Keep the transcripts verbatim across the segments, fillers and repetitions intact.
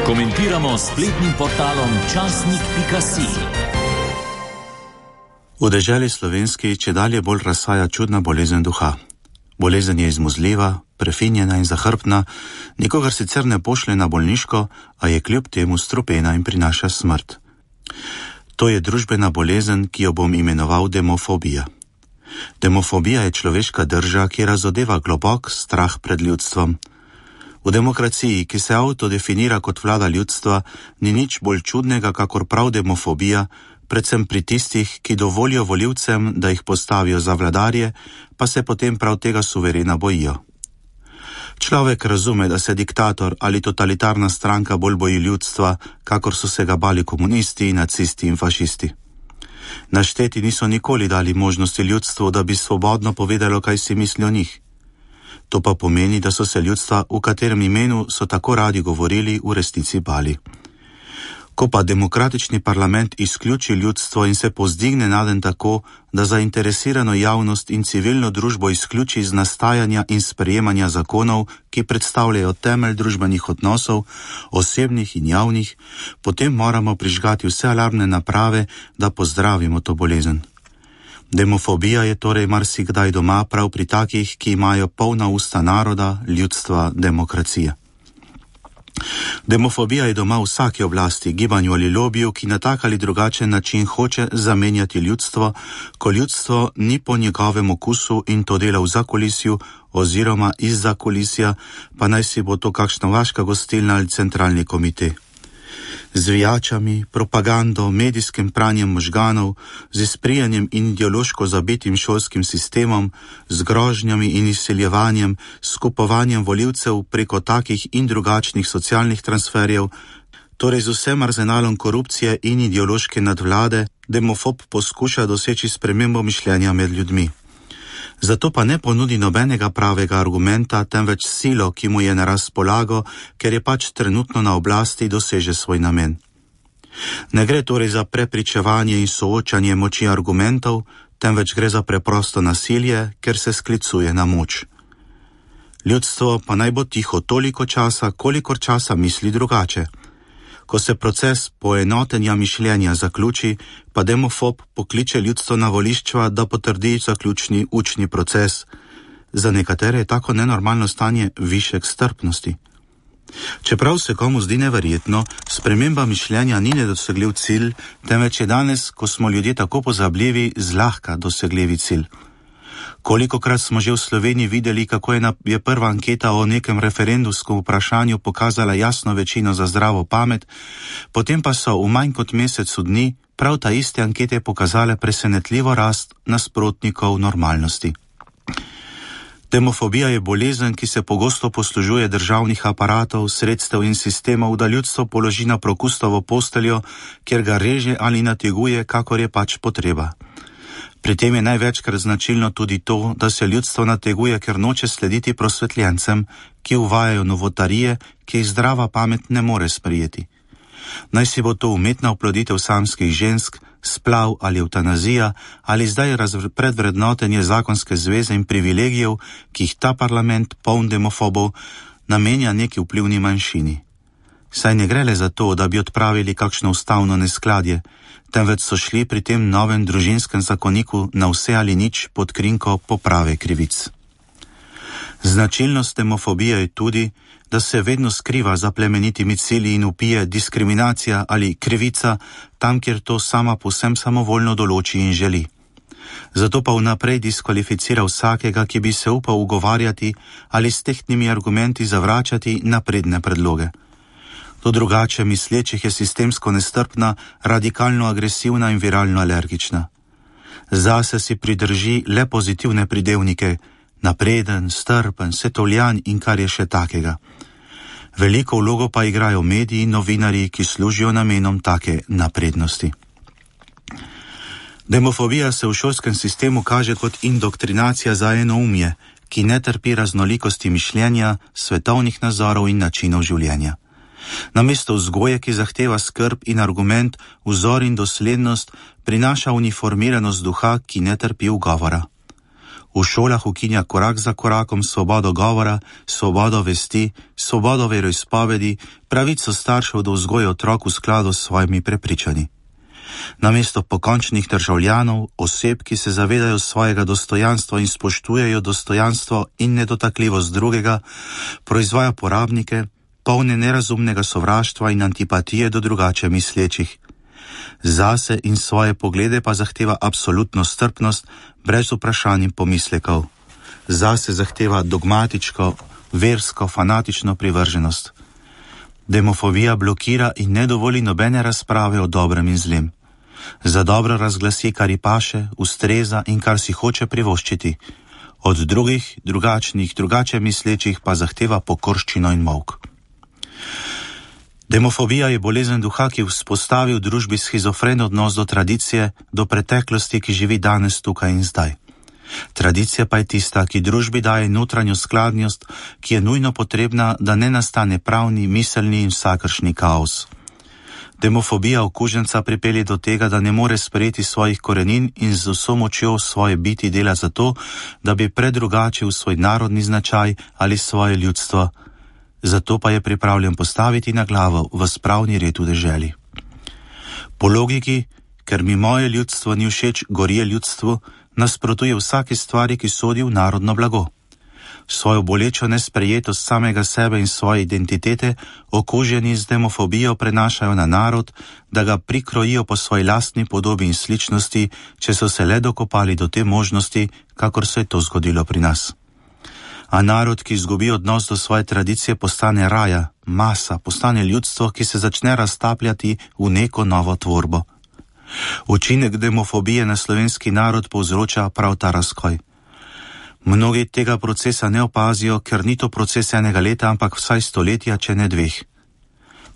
Komentiramo s spletnim portalom časnik pika si. V deželi slovenski čedalje bolj razsaja čudna bolezen duha. Bolezen je izmuzljiva, prefinjena in zahrbtna, nikogar sicer ne pošlje na bolniško, a je kljub temu strupena in prinaša smrt. To je družbena bolezen, ki jo bom imenoval demofobija. Demofobija je človeška drža, ki razodeva globok strah pred ljudstvom. V demokraciji, ki se avtodefinira kot vlada ljudstva, ni nič bolj čudnega, kakor prav demofobija, predvsem pri tistih, ki dovolijo volivcem, da jih postavijo za vladarje, pa se potem prav tega suverena bojijo. Človek razume, da se diktator ali totalitarna stranka bolj boji ljudstva, kakor so se ga bali komunisti, nacisti in fašisti. Našteti niso nikoli dali možnosti ljudstvu, da bi svobodno povedalo, kaj si misli o njih. To pa pomeni, da so se ljudstva, v katerem imenu so tako radi govorili, v resnici bali. Ko pa demokratični parlament izključi ljudstvo in se povzdigne naden tako, da zainteresirano javnost in civilno družbo izključi iz nastajanja in sprejemanja zakonov, ki predstavljajo temelj družbenih odnosov, osebnih in javnih, potem moramo prižgati vse alarmne naprave, da pozdravimo to bolezen. Demofobija je torej marsikdaj doma prav pri takih, ki imajo polna usta naroda, ljudstva, demokracije. Demofobija je doma vsaki oblasti, gibanju ali lobiju, ki na tak ali drugačen način hoče zamenjati ljudstvo, ko ljudstvo ni po njegovem okusu in to dela v zakulisju oziroma iz zakulisja, pa naj si bo to kakšna vaška gostilna ali centralni komite. Z vijačami, propagando, medijskim pranjem možganov, z izprijanjem in ideološko zabitim šolskim sistemom, z grožnjami in izseljevanjem, s kupovanjem volivcev preko takih in drugačnih socialnih transferjev, torej z vsem arzenalom korupcije in ideološke nadvlade, demofob poskuša doseči spremembo mišljenja med ljudmi. Zato pa ne ponudi nobenega pravega argumenta, temveč silo, ki mu je na razpolago, ker je pač trenutno na oblasti, doseže svoj namen. Ne gre torej za prepričevanje in soočanje moči argumentov, temveč gre za preprosto nasilje, ker se sklicuje na moč. Ljudstvo pa naj bo tiho toliko časa, kolikor časa misli drugače. Ko se proces poenotenja mišljenja zaključi, pa demofob pokliče ljudstvo na volišča, da potrdi zaključni učni proces. Za nekatere je tako nenormalno stanje višek strpnosti. Čeprav se komu zdi neverjetno, sprememba mišljenja ni nedosegljiv cilj, temveč je danes, ko smo ljudje tako pozabljivi, zlahka dosegljivi cilj. Kolikokrat smo že v Sloveniji videli, kako je, na, je prva anketa o nekem referendumskem vprašanju pokazala jasno večino za zdravo pamet, potem pa so v manj kot mesecu dni prav ta iste ankete pokazale presenetljivo rast nasprotnikov normalnosti. Demofobija je bolezen, ki se pogosto poslužuje državnih aparatov, sredstev in sistemov, da ljudstvo položi na prokustovo posteljo, kjer ga reže ali nateguje, kakor je pač potreba. Pri tem je največkrat značilno tudi to, da se ljudstvo nateguje, ker noče slediti prosvetljencem, ki uvajajo novotarije, ki jih zdrava pamet ne more sprejeti. Naj si bo to umetna oploditev samskih žensk, splav ali eutanazija, ali zdaj predvrednotenje zakonske zveze in privilegijev, ki jih ta parlament, poln demofobov, namenja neki vplivni manjšini. Saj ne gre le za to, da bi odpravili kakšno ustavno neskladje, temveč so šli pri tem novem družinskem zakoniku na vse ali nič pod krinko poprave krivic. Značilnost demofobije je tudi, da se vedno skriva za plemenitimi cilji in upije diskriminacija ali krivica tam, kjer to sama povsem samovoljno določi in želi. Zato pa vnaprej diskvalificira vsakega, ki bi se upal ugovarjati ali s tehtnimi argumenti zavračati napredne predloge. Do drugače mislečih je sistemsko nestrpna, radikalno agresivna in viralno alergična. Zase si pridrži le pozitivne pridevnike, napreden, strpen, svetovljan in kar je še takega. Veliko vlogo pa igrajo mediji in novinarji, ki služijo namenom take naprednosti. Demofobija se v šolskem sistemu kaže kot indoktrinacija za enoumje, ki ne trpi raznolikosti mišljenja, svetovnih nazorov in načinov življenja. Namesto vzgoje, ki zahteva skrb in argument, vzor in doslednost, prinaša uniformiranost duha, ki ne trpi ugovora. V šolah ukinja korak za korakom svobodo govora, svobodo vesti, svobodo veroizpovedi, pravico staršev do vzgoje otrok v skladu s svojimi prepričanji. Namesto pokončnih državljanov, oseb, ki se zavedajo svojega dostojanstva in spoštujejo dostojanstvo in nedotakljivost drugega, proizvaja porabnike, polne nerazumnega sovraštva in antipatije do drugače mislečih. Zase in svoje poglede pa zahteva absolutno strpnost, brez vprašanj in pomislekov. Zase zahteva dogmatičko, versko, fanatično privrženost. Demofobija blokira in ne dovoli nobene razprave o dobrem in zlem. Za dobro razglasi, kar ji paše, ustreza in kar si hoče privoščiti. Od drugih, drugačnih, drugače mislečih pa zahteva pokorščino in molk. Demofobija je bolezen duha, ki vzpostavi v družbi shizofren odnos do tradicije, do preteklosti, ki živi danes tukaj in zdaj. Tradicija pa je tista, ki družbi daje notranjo skladnost, ki je nujno potrebna, da ne nastane pravni, miselni in vsakršni kaos. Demofobija okuženca pripelje do tega, da ne more sprejeti svojih korenin in z vso močjo svoje biti dela za to, da bi predrugačil svoj narodni značaj ali svoje ljudstvo. Zato pa je pripravljen postaviti na glavo v spravni red v deželi. Po logiki, ker mi moje ljudstvo ni všeč, gorje ljudstvu, nasprotuje vsake stvari, ki sodi v narodno blago. Svojo bolečo nesprejetost samega sebe in svoje identitete okuženi z demofobijo prenašajo na narod, da ga prikrojijo po svoji lastni podobi in sličnosti, če so se le dokopali do te možnosti, kakor se je to zgodilo pri nas. A narod, ki izgubi odnos do svoje tradicije, postane raja, masa, postane ljudstvo, ki se začne raztapljati v neko novo tvorbo. Učinek demofobije na slovenski narod povzroča prav ta razkoj. Mnogi tega procesa ne opazijo, ker ni to proces enega leta, ampak vsaj stoletja, če ne dveh.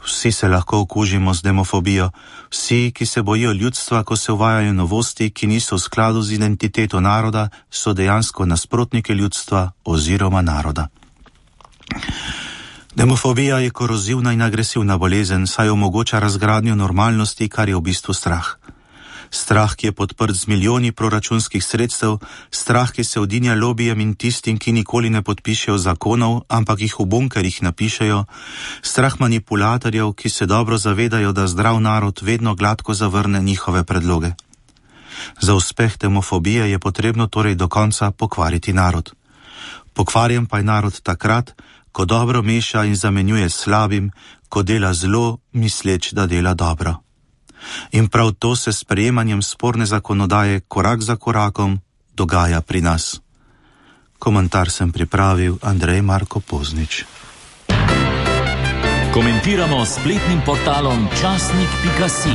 Vsi se lahko okužimo z demofobijo, vsi, ki se bojijo ljudstva, ko se uvajajo novosti, ki niso v skladu z identiteto naroda, so dejansko nasprotniki ljudstva oziroma naroda. Demofobija je korozivna in agresivna bolezen, saj omogoča razgradnjo normalnosti, kar je v bistvu strah. Strah, ki je podprt z milijoni proračunskih sredstev, strah, ki se odinja lobijem in tistim, ki nikoli ne podpišejo zakonov, ampak jih v bunkerjih napišejo, strah manipulatorjev, ki se dobro zavedajo, da zdrav narod vedno gladko zavrne njihove predloge. Za uspeh demofobije je potrebno torej do konca pokvariti narod. Pokvarjen pa je narod takrat, ko dobro meša in zamenjuje s slabim, ko dela zlo, misleč, da dela dobro. In prav to se s sprejemanjem sporne zakonodaje korak za korakom dogaja pri nas. Komentar sem pripravil Andrej Marko Poznič. Komentiramo s spletnim portalom časnik pika si.